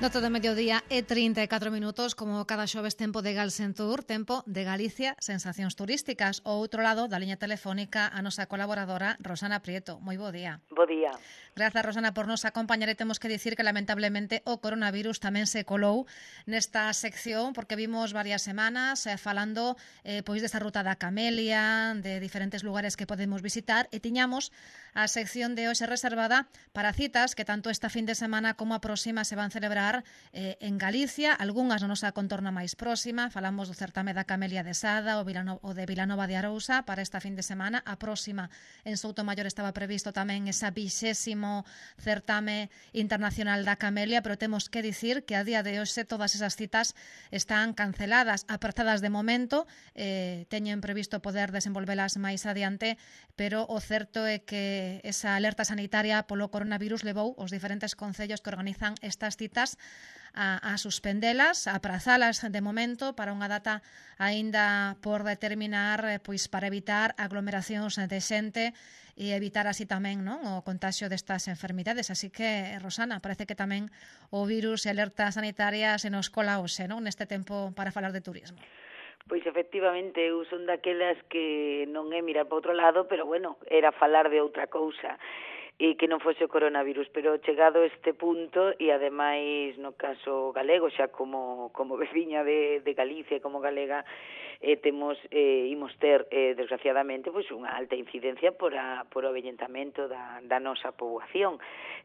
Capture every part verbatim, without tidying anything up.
Nota de mediodía e trinta e catro minutos, como cada xoves tempo de Galsentur, tempo de Galicia, sensacións turísticas. Ao outro lado da liña telefónica a nosa colaboradora Rosana Prieto. Moi bo día. Bo día. Grazas, Rosana, por nos acompañar, e temos que dicir que lamentablemente o coronavirus tamén se colou nesta sección, porque vimos varias semanas eh, falando eh, pois desta ruta da Camelia, de diferentes lugares que podemos visitar, e tiñamos a sección de hoxe reservada para citas que tanto esta fin de semana como a próxima se van celebrar eh, en Galicia, algunhas na nosa contorna máis próxima. Falamos do certame da Camelia de Sada, o, Vilano, o de Vilanova de Arousa para esta fin de semana. A próxima en Soutomaior estaba previsto tamén esa vixésimo certame internacional da Camelia, pero temos que dicir que a día de hoxe todas esas citas están canceladas, aprazadas de momento. Eh, teñen previsto poder desenvolvelas máis adiante, pero o certo é que esa alerta sanitaria polo coronavirus levou os diferentes concellos que organizan estas citas a, a suspendelas, a aprazalas de momento para unha data aínda por determinar, pois para evitar aglomeracións de xente e evitar así tamén, non, o contagio destas enfermidades. Así que, Rosana, parece que tamén o virus e alerta sanitaria se nos cola hoxe, non, neste tempo para falar de turismo. Pois efectivamente, eu son daquelas que non é mirar para outro lado, pero bueno, era falar de outra cousa e que non fose o coronavirus, pero chegado este punto, e ademais no caso galego, xa como, como veciña de, de Galicia e como galega, eh, temos, eh, imos ter, eh, desgraciadamente, pois unha alta incidencia por, a, por o avellentamento da, da nosa poboación.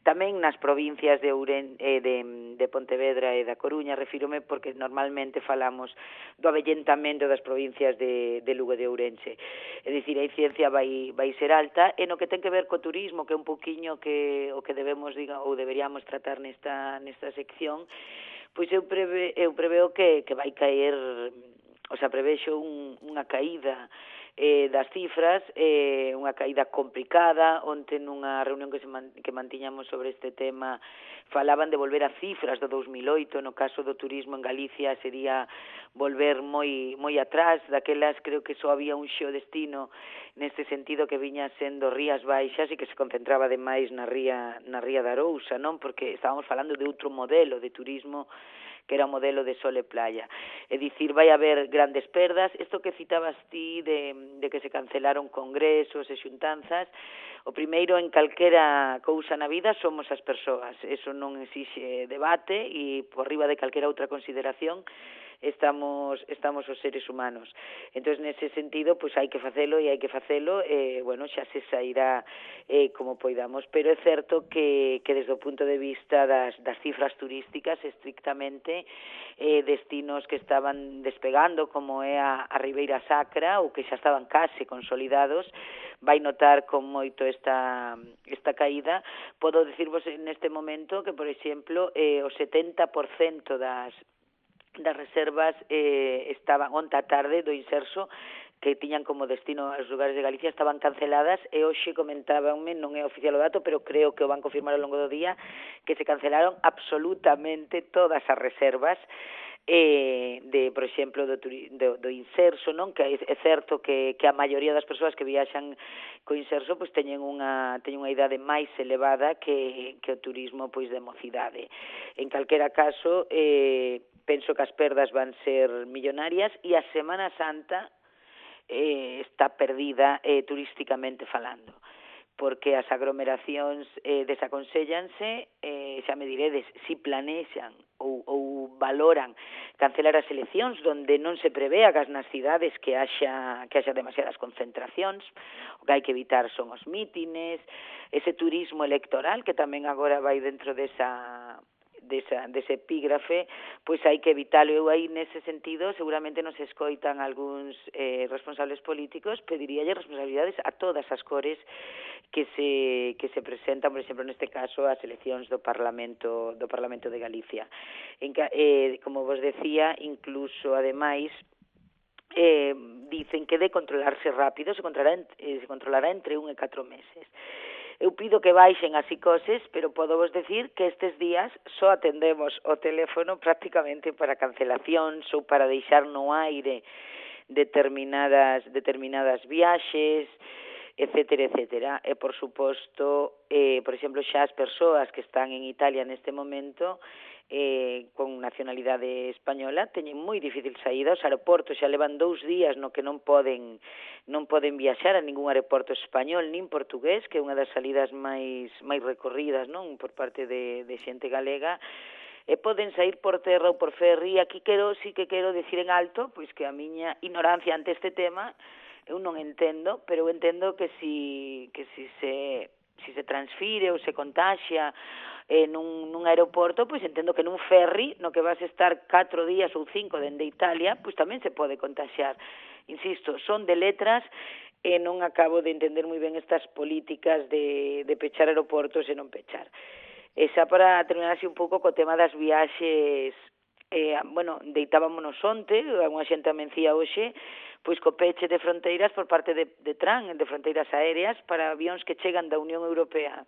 Tamén nas provincias de, Ouren, eh, de, de Pontevedra e da Coruña, refírome porque normalmente falamos do avellentamento das provincias de, de Lugo e de Ourense. É dicir, a incidencia vai, vai ser alta, e no que ten que ver co turismo, que é un pouquiño que o que debemos, diga, ou deberíamos tratar nesta, nesta sección, pois eu, preve, eu preveo que, que vai caer, o sea, prevexo un, unha caída eh, das cifras, eh, unha caída complicada. Onte nunha reunión que, se man, que mantiñamos sobre este tema falaban de volver a cifras do dous mil oito, no caso do turismo en Galicia sería volver moi moi atrás, daquelas creo que só había un xeo destino neste sentido que viña sendo Rías Baixas e que se concentraba demais na ría, na ría de Arousa, non? Porque estábamos falando de outro modelo de turismo que era o modelo de sol e playa. É dicir, vai haber grandes perdas. Isto que citabas ti de, de que se cancelaron congresos e xuntanzas, o primeiro en calquera cousa na vida somos as persoas. Eso non exixe debate e por riba de calquera outra consideración estamos estamos os seres humanos. Entón, nese sentido, pois hai que facelo e hai que facelo, e, bueno, xa se sairá eh, como poidamos, pero é certo que, que desde o punto de vista das, das cifras turísticas, estrictamente, eh, destinos que estaban despegando, como é a, a Ribeira Sacra, ou que xa estaban case consolidados, vai notar con moito esta, esta caída. Podo dicirvos neste momento que, por exemplo, eh, o setenta por cento das das reservas eh, estaban onta tarde do Inserso, que tiñan como destino os lugares de Galicia, estaban canceladas, e hoxe comentábanme, non é oficial o dato, pero creo que o van confirmar ao longo do día, que se cancelaron absolutamente todas as reservas eh, de, por exemplo, do, do, do Inserso, non? Que é certo que, que a maioría das persoas que viaxan co Inserso pois teñen unha, teñen unha idade máis elevada que, que o turismo pois de mocidade. En calquera caso, eh, penso que as perdas van ser millonarias, e a Semana Santa eh, está perdida eh, turísticamente falando, porque as aglomeracións eh, desaconséllanse, eh, xa me diredes, si planexan ou, ou valoran cancelar as eleccións donde non se prevea que nas cidades que haxa, que haxa demasiadas concentracións. O que hai que evitar son os mítines, ese turismo electoral que tamén agora vai dentro desa... Desa, dese epígrafe, pois hai que evitalo. Eu aí, nese sentido, seguramente nos escoitan algúns eh, responsables políticos, pediríalle responsabilidades a todas as cores que se, que se presentan, por exemplo, neste caso, as eleccións do Parlamento, do Parlamento de Galicia. En, eh, como vos decía, incluso, ademais, eh, dicen que de controlarse rápido se controlará, eh, se controlará entre un e catro meses. Eu pido que baixen as psicoses, pero podo vos decir que estes días só atendemos o teléfono prácticamente para cancelacións ou para deixar no aire determinadas determinadas viaxes, etcétera, etcétera. E, por suposto, eh, por exemplo, xa as persoas que están en Italia neste momento eh, con nacionalidade española teñen moi difícil saída. Os aeroportos xa levan dous días no que non poden non poden viaxar a ningún aeroporto español nin portugués, que é unha das salidas máis máis recorridas, non, por parte de, de xente galega, e poden sair por terra ou por ferry. Aquí quero, sí que quero decir en alto, pois que a miña ignorancia ante este tema, eu non entendo, pero eu entendo que si, que si se si se transfire ou se contaxia eh, nun, nun aeroporto, pois entendo que nun ferry, no que vas estar catro días ou cinco dende Italia, pois tamén se pode contaxiar. Insisto, son de letras e non acabo de entender moi ben estas políticas de, de pechar aeroportos e non pechar. E xa para terminar así un pouco co tema das viaxes, eh, bueno, deitábamonos onte, unha xente amencía hoxe, pois co peche de fronteiras por parte de, de Tran, de fronteiras aéreas, para avións que chegan da Unión Europea.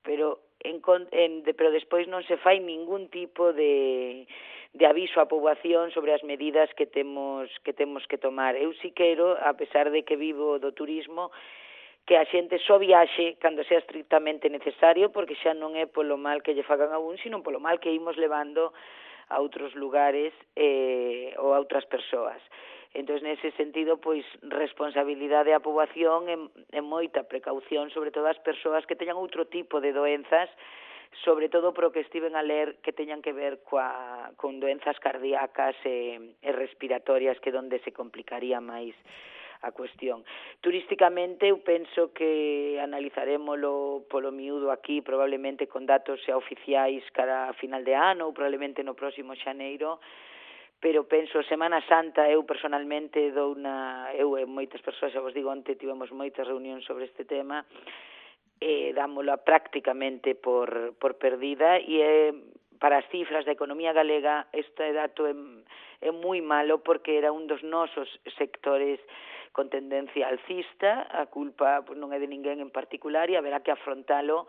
Pero, en, en, de, pero despois non se fai ningún tipo de, de aviso á poboación sobre as medidas que temos que temos que tomar. Eu si quero, a pesar de que vivo do turismo, que a xente só viaxe cando sea estrictamente necesario, porque xa non é polo mal que lle fagan a un, sino polo mal que imos levando a outros lugares eh, ou a outras persoas. Entón, nese sentido, pois, responsabilidade á poboación e, e moita precaución, sobre todo as persoas que teñan outro tipo de doenzas, sobre todo pro que estiven a ler que teñan que ver coa, con doenzas cardíacas e, e respiratorias, que donde se complicaría máis a cuestión. Turísticamente, eu penso que analizarémolo polo miúdo aquí, probablemente con datos xa oficiais cara a final de ano ou probablemente no próximo xaneiro, pero penso, Semana Santa, eu personalmente dou unha, eu e moitas persoas, xa vos digo, onte tivemos moitas reunións sobre este tema, e dámola prácticamente por, por perdida, e é, para as cifras da economía galega, este dato é, é moi malo, porque era un dos nosos sectores con tendencia alcista. A culpa pues, non é de ninguén en particular, e haberá que afrontalo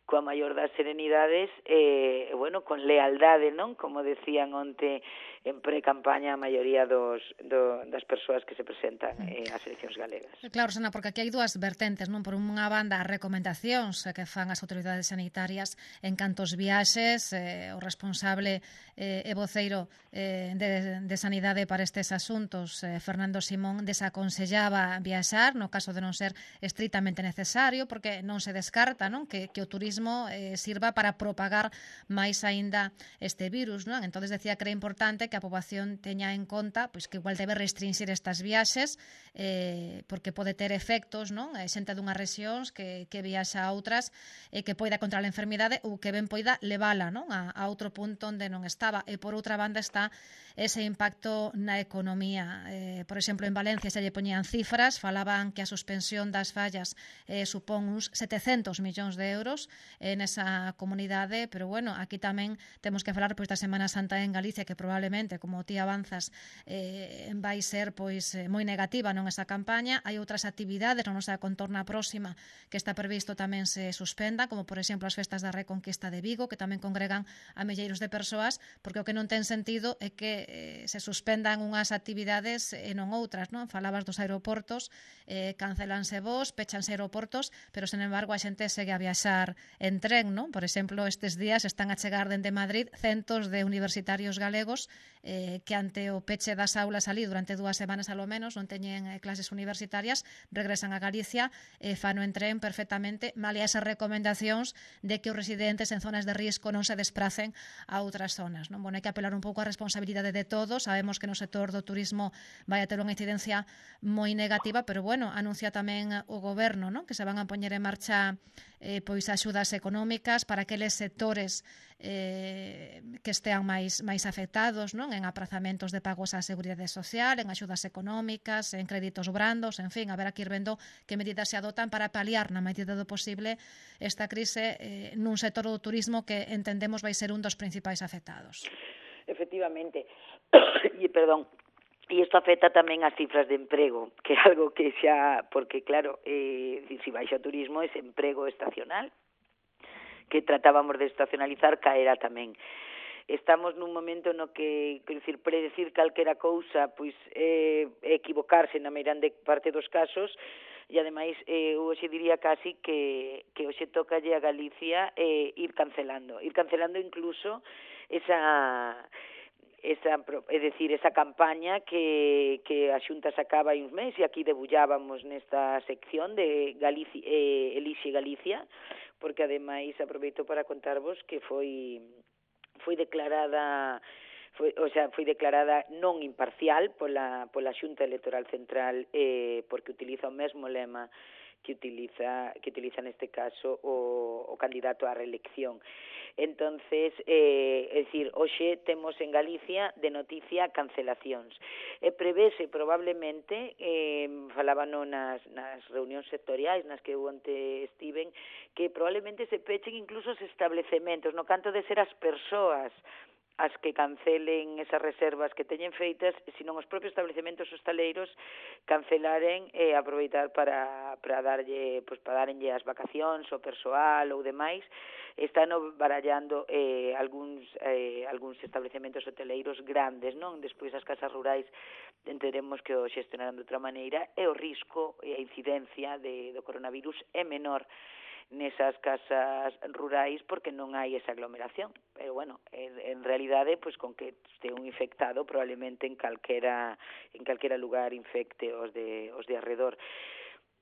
coa maior das serenidades e, eh, bueno, con lealdade, non? Como decían onte en pre-campaña a maioría dos, do, das persoas que se presentan eh, ás eleccións galegas. Claro, Sana, porque aquí hai dúas vertentes, non? Por unha banda, as recomendacións que fan as autoridades sanitarias en cantos viaxes, eh, o responsable eh, e voceiro eh, de, de Sanidade para estes asuntos, eh, Fernando Simón, desaconsellaba viaxar no caso de non ser estritamente necesario, porque non se descarta, non? Que, que o turismo eh, sirva para propagar máis aínda este virus, non? Entonces decía que era importante que a poboación teña en conta pois que igual debe restringir estas viaxes eh, porque pode ter efectos, non? Eh, xente dunhas rexións que, que viaxa a outras e eh, que poida contra a enfermidade ou que ben poida levala, non? A, a outro punto onde non estaba. E por outra banda está ese impacto na economía. Eh, por exemplo, en Valencia se lle poñían cifras, falaban que a suspensión das fallas eh, supón uns setecentos millóns de euros en esa comunidade, pero bueno, aquí tamén temos que falar pois da Semana Santa en Galicia, que probablemente, como ti avanzas, eh, vai ser pois moi negativa non esa campaña. Hai outras actividades na nosa contorna próxima que está previsto tamén se suspendan, como por exemplo as festas da Reconquista de Vigo, que tamén congregan a milleiros de persoas, porque o que non ten sentido é que eh, se suspendan unhas actividades e non outras, non? Falabas dos aeroportos, eh, cancelanse voos, pechanse aeroportos, pero sen embargo a xente segue a viaxar en tren, non? Por exemplo, estes días están a chegar dende Madrid centos de universitarios galegos eh, que ante o peche das aulas ali durante dúas semanas alo menos non teñen eh, clases universitarias, regresan a Galicia e eh, fano en tren perfectamente, malia esas recomendacións de que os residentes en zonas de risco non se despracen a outras zonas, non? Bueno, hai que apelar un pouco á responsabilidade de todos. Sabemos que no sector do turismo vai a ter unha incidencia moi negativa, pero bueno, anuncia tamén o goberno, non? Que se van a poñer en marcha eh, pois axudas económicas para aqueles sectores eh, que estean máis máis afectados, non? En aprazamentos de pagos á Seguridade Social, en axudas económicas, en créditos brandos, en fin, haberá que ir vendo que medidas se adotan para paliar na medida do posible esta crise eh, nun sector do turismo que entendemos vai ser un dos principais afectados. Efectivamente, e perdón, e isto afecta tamén as cifras de emprego, que é algo que xa, porque claro, eh, se baixa o turismo, ese emprego estacional, que tratábamos de estacionalizar, caerá tamén. Estamos nun momento no que, quero dicir, predecir calquera cousa, pois é eh, equivocarse na meirande parte dos casos, e ademais eh, hoxe diría casi que, que hoxe tocalle a Galicia eh, ir cancelando, ir cancelando incluso esa esa, é dicir, esa campaña que, que a Xunta sacaba hai uns meses e aquí debullábamos nesta sección de Galicia, eh, Elixe Galicia, porque ademais aproveito para contarvos que foi foi declarada foi, o sea, foi declarada non imparcial pola, pola Xunta Electoral Central eh, porque utiliza o mesmo lema que utiliza que utiliza neste caso o, o candidato á reelección. Entonces, eh, é dicir, hoxe temos en Galicia de noticia cancelacións. E prevese probablemente, eh, falábano nas, nas reunións sectoriais nas que eu onte estiven, que probablemente se pechen incluso os establecementos, no canto de ser as persoas as que cancelen esas reservas que teñen feitas, senón os propios establecementos hostaleiros cancelaren e aproveitar para, para darlle, pues, para darenlle as vacacións ao persoal ou demais. Están barallando eh, algúns, eh, algúns establecementos hoteleiros grandes, non? Despois as casas rurais entenderemos que o xestionarán de outra maneira e o risco e a incidencia de, do coronavirus é menor nesas casas rurais porque non hai esa aglomeración. Pero, bueno, en, en realidade, pues, con que este un infectado, probablemente en calquera, en calquera lugar infecte os de, os de arredor.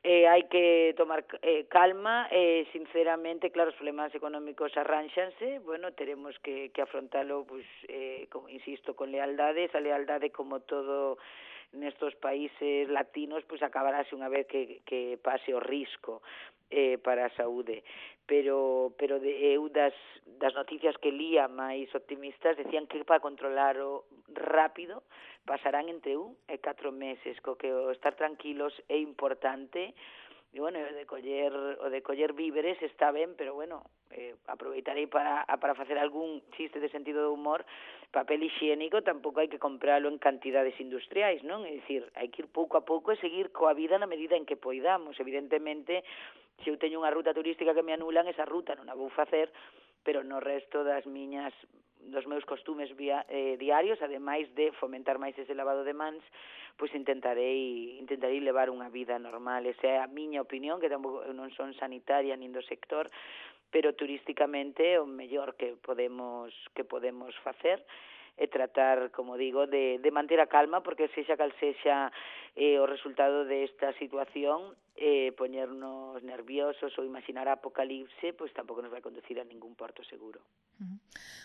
Eh, hai que tomar eh, calma, eh, sinceramente, claro, os problemas económicos arránxanse, bueno, teremos que, que afrontalo, pues, eh, como, insisto, con lealdade, esa lealdade como todo nestos países latinos, pues acabarase unha vez que, que pase o risco eh, para a saúde. Pero, pero de, eu das, das noticias que lía máis optimistas decían que para controlarlo rápido pasarán entre un e catro meses, co que o estar tranquilos é importante. E, bueno, o de coller, o de coller víveres está ben, pero, bueno, eh, aproveitarei para, para facer algún chiste de sentido de humor. Papel higiénico tampouco hai que compralo en cantidades industriais, non? É dicir, hai que ir pouco a pouco e seguir coa vida na medida en que poidamos. Evidentemente, se eu teño unha ruta turística que me anulan, esa ruta non a vou facer, pero no resto das miñas dos meus costumes via, eh, diarios, ademais de fomentar máis ese lavado de mans, pois intentarei intentarei levar unha vida normal. Esa é a miña opinión, que tampouco eu non son sanitaria nin do sector, pero turísticamente o mellor que podemos que podemos facer é tratar, como digo, de, de manter a calma, porque sexa cal sexa eh, o resultado desta situación, eh, poñernos nerviosos ou imaginar a apocalipse, pois tampouco nos vai conducir a ningún porto seguro. Uh-huh.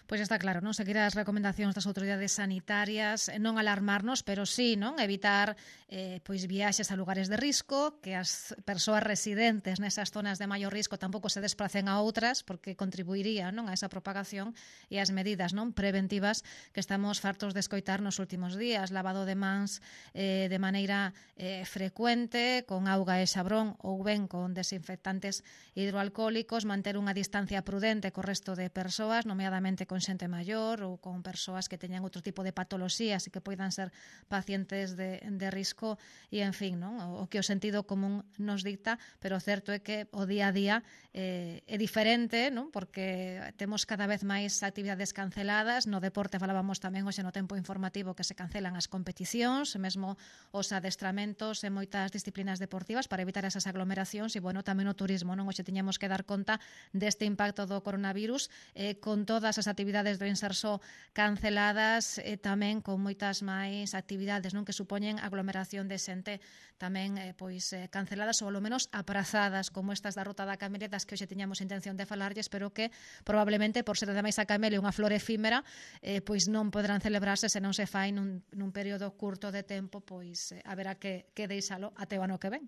Pois está claro, non? Seguir as recomendacións das autoridades sanitarias, non alarmarnos, pero sí, non? Evitar eh, pois viaxes a lugares de risco, que as persoas residentes nesas zonas de maior risco tampouco se desplacen a outras, porque contribuiría, non, a esa propagación, e as medidas, non, preventivas que estamos fartos de escoitar nos últimos días, lavado de mans eh, de maneira eh, frecuente, con auga e xabrón ou ben con desinfectantes hidroalcohólicos, manter unha distancia prudente co resto de persoas, nomeadamente con xente maior ou con persoas que teñan outro tipo de patoloxías e que poidan ser pacientes de, de risco e, en fin, non? O, o que o sentido común nos dicta, pero o certo é que o día a día eh, é diferente, non? Porque temos cada vez máis actividades canceladas, no deporte falábamos tamén hoxe no tempo informativo que se cancelan as competicións, mesmo os adestramentos en moitas disciplinas deportivas para evitar esas aglomeracións e, bueno, tamén o turismo, non? Hoxe tiñamos que dar conta deste impacto do coronavirus eh, con todas as actividades do Inserso canceladas e tamén con moitas máis actividades, non, que supoñen aglomeración de xente tamén eh, pois eh, canceladas ou, ao menos, aprazadas, como estas da Ruta da Camelia, das que hoxe tiñamos intención de falarlles, pero que probablemente, por ser ademais a Camelia unha flor efímera, eh, pois non poderán celebrarse se non se fai nun, nun período curto de tempo, pois eh, haberá que, que deixalo até o ano que ven.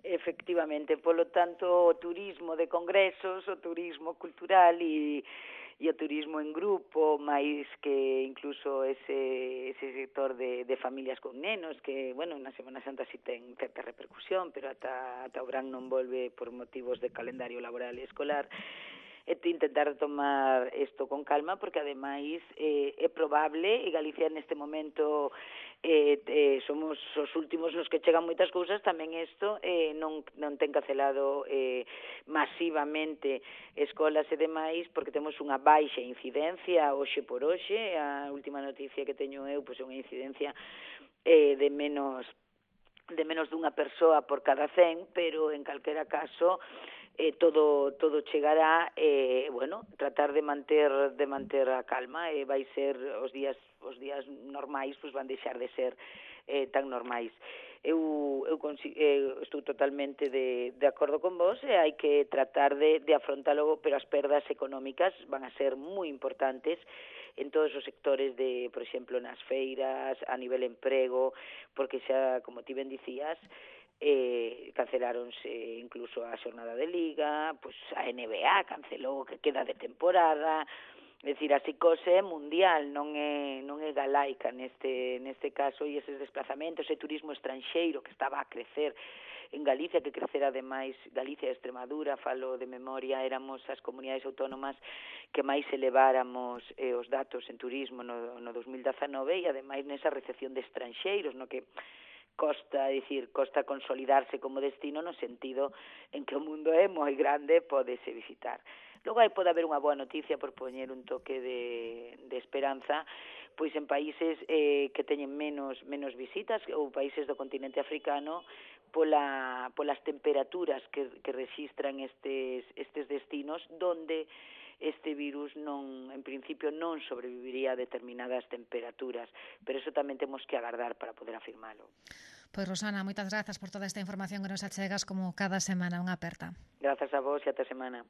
Efectivamente, polo tanto, o turismo de congresos, o turismo cultural e, e o turismo en grupo, máis que incluso ese, ese sector de, de familias con nenos, que, bueno, na Semana Santa si ten certa repercusión, pero ata, ata o verán non volve por motivos de calendario laboral e escolar, e intentar tomar isto con calma, porque ademais eh, é probable, e Galicia neste momento eh, eh, somos os últimos nos que chegan moitas cousas, tamén isto eh, non, non ten cancelado eh, masivamente escolas e demais, porque temos unha baixa incidencia hoxe por hoxe. A última noticia que teño eu, pois, é unha incidencia eh, de menos de menos dunha persoa por cada cen, pero en calquera caso eh, todo todo chegará, e eh, bueno, tratar de manter de manter a calma, e eh, vai ser os días os días normais, pois van deixar de ser eh, tan normais. Eu, eu, eu estou totalmente de, de acordo con vos, e hai que tratar de, de afrontalo, pero as perdas económicas van a ser moi importantes en todos os sectores, de, por exemplo, nas feiras, a nivel emprego, porque xa, como ti ben dicías, eh, canceláronse incluso a xornada de liga, pois a N B A cancelou o que queda de temporada. É dicir, a psicose é mundial, non é, non é galaica neste, neste caso, e eses desplazamentos e turismo estranxeiro que estaba a crecer en Galicia, que crecera ademais, Galicia e Extremadura, falo de memoria, éramos as comunidades autónomas que máis eleváramos eh, os datos en turismo no, no dos mil dezanove, e ademais nesa recepción de estranxeiros, no que costa, é dicir, costa consolidarse como destino no sentido en que o mundo é moi grande, pódese visitar. Logo aí pode haber unha boa noticia, por poñer un toque de, de esperanza, pois en países eh, que teñen menos menos visitas, ou países do continente africano, pola, polas temperaturas que, que registran estes, estes destinos, donde este virus non, en principio non sobreviviría a determinadas temperaturas, pero eso tamén temos que agardar para poder afirmalo. Pois Rosana, moitas grazas por toda esta información que nos achegas como cada semana, unha aperta. Grazas a vos e ata semana.